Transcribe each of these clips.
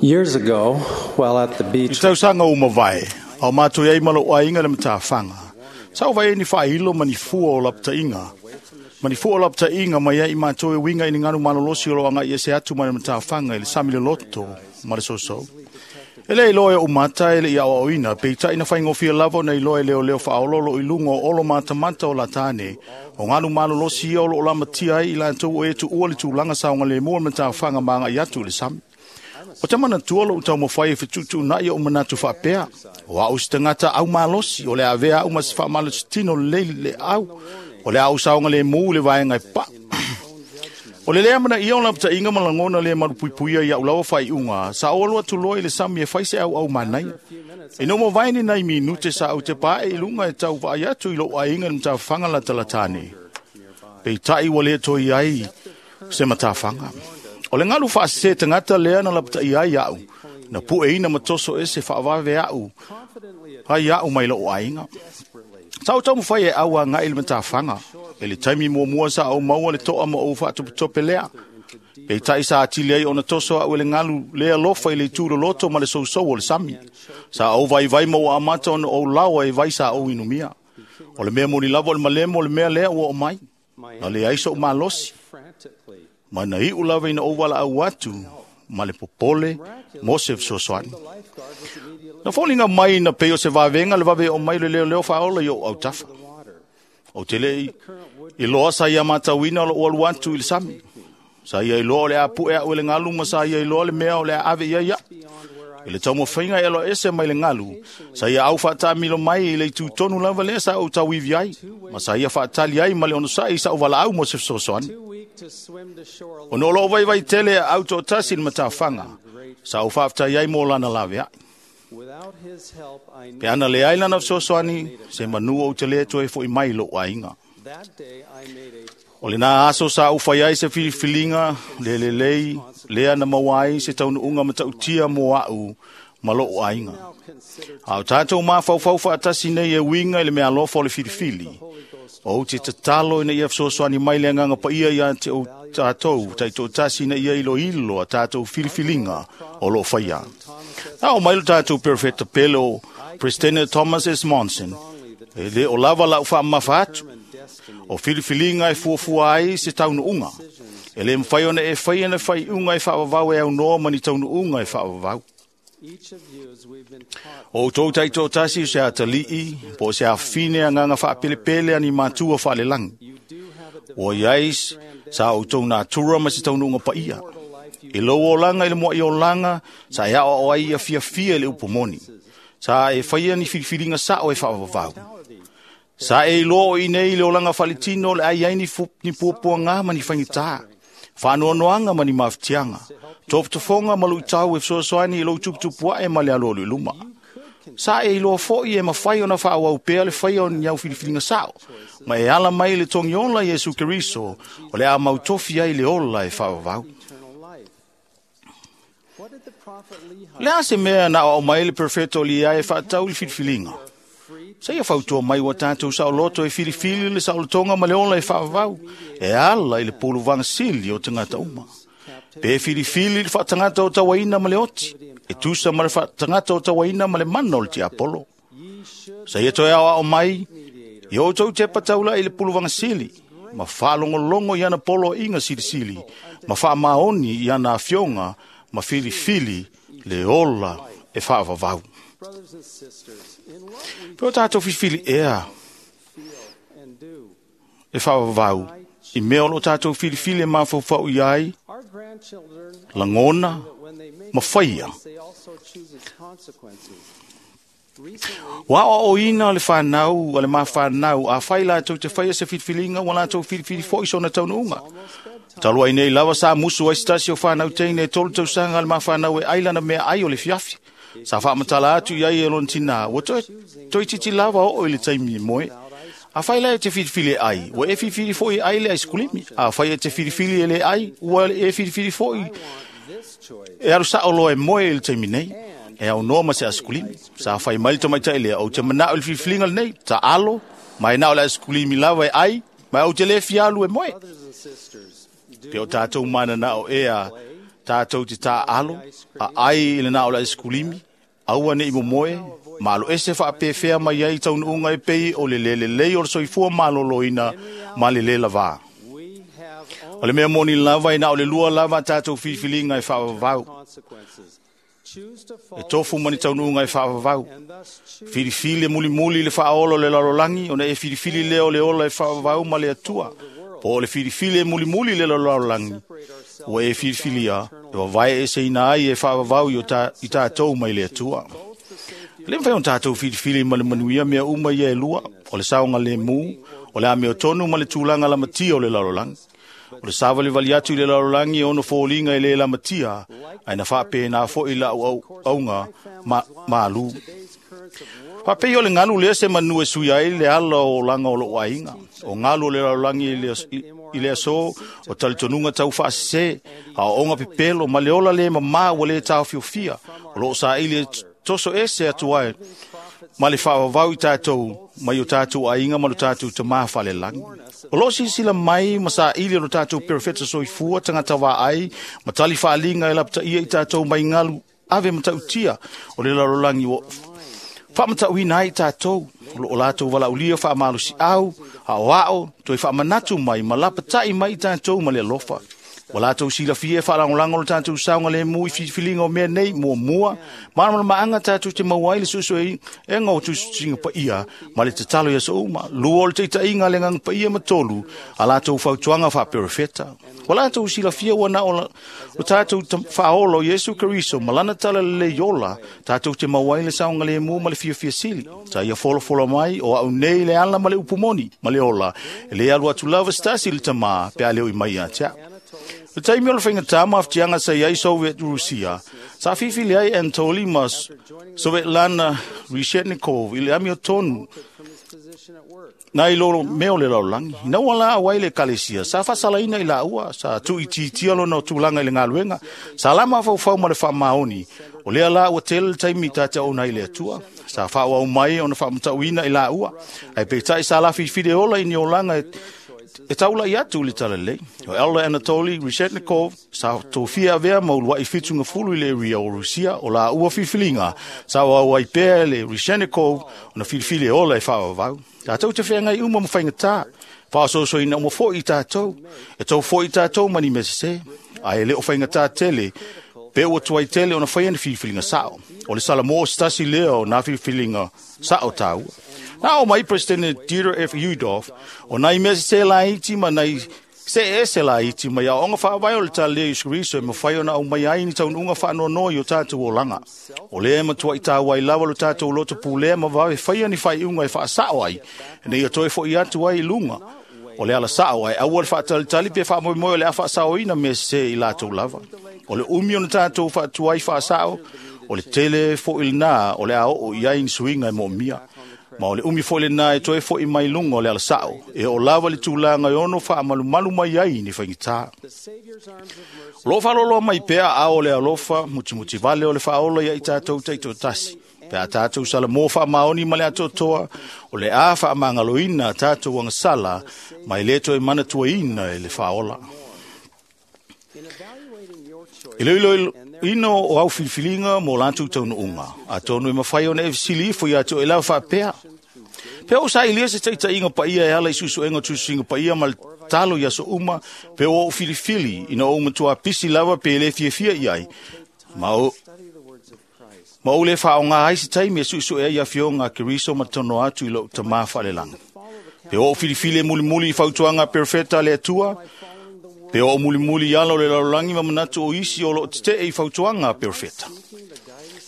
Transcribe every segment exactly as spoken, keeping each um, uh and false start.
Years ago, while at the I beach, tausaga o mavae, au mātou ai malo aiga le matafaga. Sa o vai ni whailo ma ni fua o laptainga. Ma ni fua o laptainga mai ai mātou e winga i ni nganu malolosi o loanga i ese atu ma le matafaga i le sami le loto ma le soso. E le iloa e o mata e le ia o oina, pe i na whaingofia lava na iloa e leo leo whaololo i lunga o olo matamata o latane, o nganu malolosi ia o lo lamatia ai i lantou o e tu ua le tūlanga saonga le mua matafaga maanga i atu i le sami. O te mana tua lo utau mawhai e whitutu na ia o manatu whaapea. O au si tangata au malosi, o le avea au mas whaamalosi tino le le au. O le au saonga le mū le vaenga e pa. O le lea mana ia o lapta inga malangona le marupuipuia ia ulawa whai unga. Sa o alua tuloa i le sami e whaise au au manai. E no mo vaini nei minute sa au te pae i lunga e tau vaai atu i lo ainga le mtawhanga la talatane. Pe tai wa le toi ai se matawhanga. O le ngalu whaase tangata lea na lapta i ai au. Na pue ina matoso ese whaawave au. Ai au mai lo ainga. Tau tau mwhai e au a ngai le matawhanga. E le taimi mua mua sa au maua le toa ma au whaatuputope lea. Pe tai sa atili ai ona toso au e le ngalu lea lofa i le tūro loto ma le sousou o le sami. Sa au vai vai maua amata ona au lawa e vai sa au inumia. O le mea moni lava o le malemo o le mea lea ua o mai. Na le aiso o malosi. Ma na iu lava ina ouala au atu, ma le popole, mo se fesoasoani. Na foliga mai na pei o se vavenga le vave o mai le leo leo whaola i o au tafa. O te lei, i loa sa ia matauina o lo ualu atu i le sami. Sa ia i loa o le apu e au e le ngalu ma sa ia i loa le mea o le ave ia ia. I le taumawhainga e aloa ese mai le ngalu, sa ia au whaatamilo mai i le tūtonu lava lea sa au tauivi ai, ma sa ia whaatali ai ma le onosai i sa uwala au mo se fesoasoani. O no lo vai vai tele au tō tasi le matawhanga, sa au whaaftai ai mō lana lawe ai. Pe ana le ai lana fesoasoani, se manu o te le toe fo i mai lo ainga. O le nā aso sa au whai ai se filifilinga, le le lei, lea na mauai se taunuunga matautia mō au ma lo ainga. Au tātou mawhauwhau whaatasi nei e winga i le mea alofa o le filifili. O te tatalo ina ia fesoasoani mai le anganga paia ia te o tātou, taito tasi ina ia ilo ilo a tātou filifilinga o lo whaia. Na o mai lo tātou perfecta pele o President Thomas S. Monson, e le o lava lau whaamafa atu. O filifilinga e fuafua ai se taunuunga. E le mwhai ona e whai ana whai unga e whaawawau e au noa mani taunuunga e whaawawau. O tō taito tasi o se atalii, po se awhine a nganga whaapelepele ani mātua whaalelangi. O iais, sa o tō nā tura ma se taunuunga paia. E lau o langa i le mua i o langa, sa e ao o ai a fia fia le upomoni. Sa e whaia ni filifilinga sa o e whaawawau. Sa e iloa o inei le olanga whalitino le ai ai ni, fu, ni puapuanga ma ni whaingita. Whanoanoanga ma ni mawhitianga. Tōputafonga ma luitau e fesoasoani i lou tuputupu e ma le alo o luma. Sa e iloa foi e mawhai ona whaawau pea le whai o ni au filifilinga sao. Ma e ala mai le tongi ola Yesu Keriso o le a mautofi ai le ola e whaawau. Le a se mea na o mai le perfecto li ai e whaatau le filifilinga. Sa ia whautua mai wa tātou sa o loto e filifili le saolotonga ma le ola e whaawau. E ala i le pulu vangasili o tangata uma. Pe filifili le whaatangata o tawaina ma le oti. E tusa ma le whaatangata o tawaina ma le mana o le tiapolo. Sa ia toe ao ao mai, i o tau te pataula i le pulu vangasili. Ma whaalongolongo i ana polo inga silisili. Ma whaamaoni i ana afionga ma filifili le ola e whaawawau. Pe o tātou filifili ea e whaawawau. I mea o lo tātou filifili e mawhauwhau i ai, langona, ma whaia. Wa o o ina le whanau, o le mawhanau, a whai lātou te whaia se filifilinga, wa lātou filifili fo i sona taunuunga. Talua i nei lava sa musu ai stasi o whanau teine e tolu tausanga le mawhanau e ailana mea ai o le fiafi. Sa whaamatala atu i ai e lona tina, ua toi, toi titi lava o i le taimi moe. A whai lai e te filifili e ai, ua e filifili fo i ai le aiskulimi. A whai e te filifili e le ai, ua e filifili fo i e aru sa o loa e moe i le taimi nei. E au noa ma se aiskulimi. Sa whai mai le tamaitai lea, o te manao i le filifilinga le nei, ta alo, mai nao le aiskulimi lava e ai, mai au te le fialu e moe. Pe o tātou mana nao ea, Tātou te tā alo, a ai i le nā o le aisikulimi, aua ne i momoe, malo ese whaapewhea mai ai taunuunga e pei o le lele lei o le soifua maloloina ma le le lavā. O le mea moni lava i na o le lua lava tātou filifiliga e whaavavau. E tofu mani taunuunga e whaavavau. Filifili mulimuli le whaolo le lalolagi, ona e filifili leo le ola e whaavavau ma le atua. Po o le filifili e mulimuli le lalolagi, ua e filifilia, e wawae e seina ai e whaavavau i, ta, i tātou mai le atua. Le mwhai o tātou filifili ma le manuia mea uma ia e lua, o le saonga le mū, o le ameo tonu ma le tūlanga la matia o le lalolagi. O le sāvali vali atu i le lalolagi e ono fōlinga e le la matia, ai na whaape nā fo i la au aunga ma, maalu. Whapei o le ngalu lea se manu e sui ai le ala o langa o lo ainga. O ngalu o le lalolagi i le, i le aso o talitonunga tau whaasese, a o onga pepelo ma le ola le mamā ua le tāofiofia, o lo sa i le toso ese atu ai, ma le whaawawau i tātou, mai o tātou ainga ma lo tātou te maa whalelangi. O lo sisila mai ma sa ili o lo tātou perefeta soifua tangata wā ai, ma tali whaalinga e lapta ia i tātou mai ngalu ave matautia o le lalolagi o whaamatauina ai tātou, o lo o lātou walaulia whaamalusi au, a o ao, toi whaamanatu mai, ma lapatai mai i tātou ma le alofa. O lātou silafia e whaalangolango lo tātou saunga le mui filifiliga o mea nei, mua mua, mana maanga tātou te mauai le susu e e ngau tusinga pa ia, ma le tatalo ia souma, lua o le teitainga le nganga pa ia matolu, a lātou fautuanga whaaperefeta. O lātou silafia ua na o lo tātou whaolo Yesu Keriso, malana tala le iola, tātou te mauai le saunga le mua ma le fiafia sili. Ta ia folo folo mai o au nei le ala ma le upumoni, ma le ola, e le alu atu lava stasi le tamā, pe a leo i mai a tea. Le taimi o le whainga tama aftianga sa iai Soviet Rusia, sa fifili ai Anatoly ma Svetlana Reshetnikov i le amio tonu na i lolo meo le lalolagi. Ina ua la awai le kalesia, sa whasalaina i la ua, sa tu i titia lona o tūlanga i le ngaluenga, sa lama whaufau ma le whaamaoni, o lea la ua tele le taimi tātea ona i le atua, sa whaawau mai ona whaamatauina i la ua, ai peitai sa la fifile ola i ni olanga e E taula i atu le talalei. O Elder Anatoly Reshetnikov sa tofia avea maulua i fitunga fulu i le ria o Rusia o la ua filifiliga sa o ai pea le Reshetnikov ona filifili ola e whaawawau. Tātou te whengai uma ma whaingatā. Whaososoina uma foi i tātou. E tau foi i tātou mani mesese. Ai le o whaingatā tele. Pe ua tuai tele ona whai ani filifilinga sao. O le salamo o stasi lea o nā filifilinga sao tāua. Nā o mai President Dieter F. Udoff, o nai mea se la iti ma nai se ese la iti mai a onga whaawai o le tālea Yesu Kristo e mawhai ona au mai ai ni taununga whaanono i o tātou o langa. O lea matua i tāwai lawa lo tātou loto pūlea ma wawe whaia ni whaiunga e whaasao ai, e nei o toi fo i atu ai lunga. O le ala sao ai, aua le whaatalitali pe whaamoemoe o le a whaasaoina me se i lātou lava. O le umi o na tātou whaatuai whaasao, o le tele fo il nā, o le a o i ai ni suinga e mō mia. Ma o le umi fo le nā e toe fo i mai lunga o le ala sao, e o lava le tūlanga e ono wha malu malu mai ai ni whaingitā. O lo whaloloa mai pea a o le alofa, mutimuti vale o le whaola ia i tātou teito tasi. Pea tātou sala mō wha maoni ma le atotoa, o le a wha mangaloina tātou angasala, mai le toe mana tuaina e le whaola. I leilo ino o au filifilinga mō lātou taunuunga. A tonu e mawhai ona e fisili ifo i atu e lau whaapea. Pea o sa ilia se taitainga paia e ala i susuenga tusuinga paia ma le talo i aso uma, pea o filifili ina o matua pisi lava pe le fiafia i ai. Ma o, ma o le whaonga ai se taimi e susuea i awhionga Keriso ma tono atu i lo tamā whalelanga. Pea o filifili e mulimuli i fautuanga perfeta le atua, pe o mulimuli i ala o le lalolagi ma manatu o isi o lo te e i fautuanga perfeta.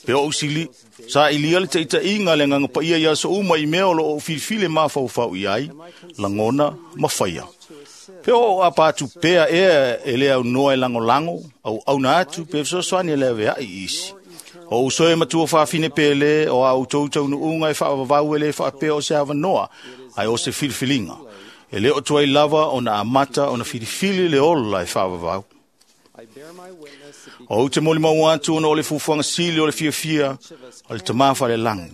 Pe o usili, sa ilia le teitainga le nganga paia i aso uma i mea o lo o filifili mafaufau i ai, langona ma whaia. Pe o apatu pea ea e lea au noa e langolango, au auna atu pe fesoasoani e lea veai i isi. O usoe matua whaafine pele o au tautau nuunga e whaavavau e le whaapea o se awanoa, ai o se filifilinga. E leo tuai lava o na amata o na filifili le ola e whaavavau. O te moli mau atu ona o le fufuanga sili o le fiafia o le tamafa le langi.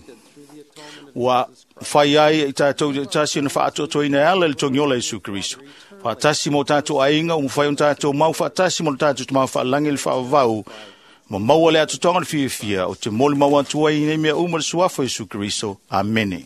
Ua whai ai i tātou te tasi ona whaatotoina e ala le tongiola Isu Keriso. Faatasi ma o tatou aiga, ua mafai ona tatou mau faatasi ma lo tatou Tama faalagi le faavavau, ma maua le atoatoaga o le fiafia, ou te molimau atu ai i nei mea uma i le suafa o Iesu Keriso. Amene.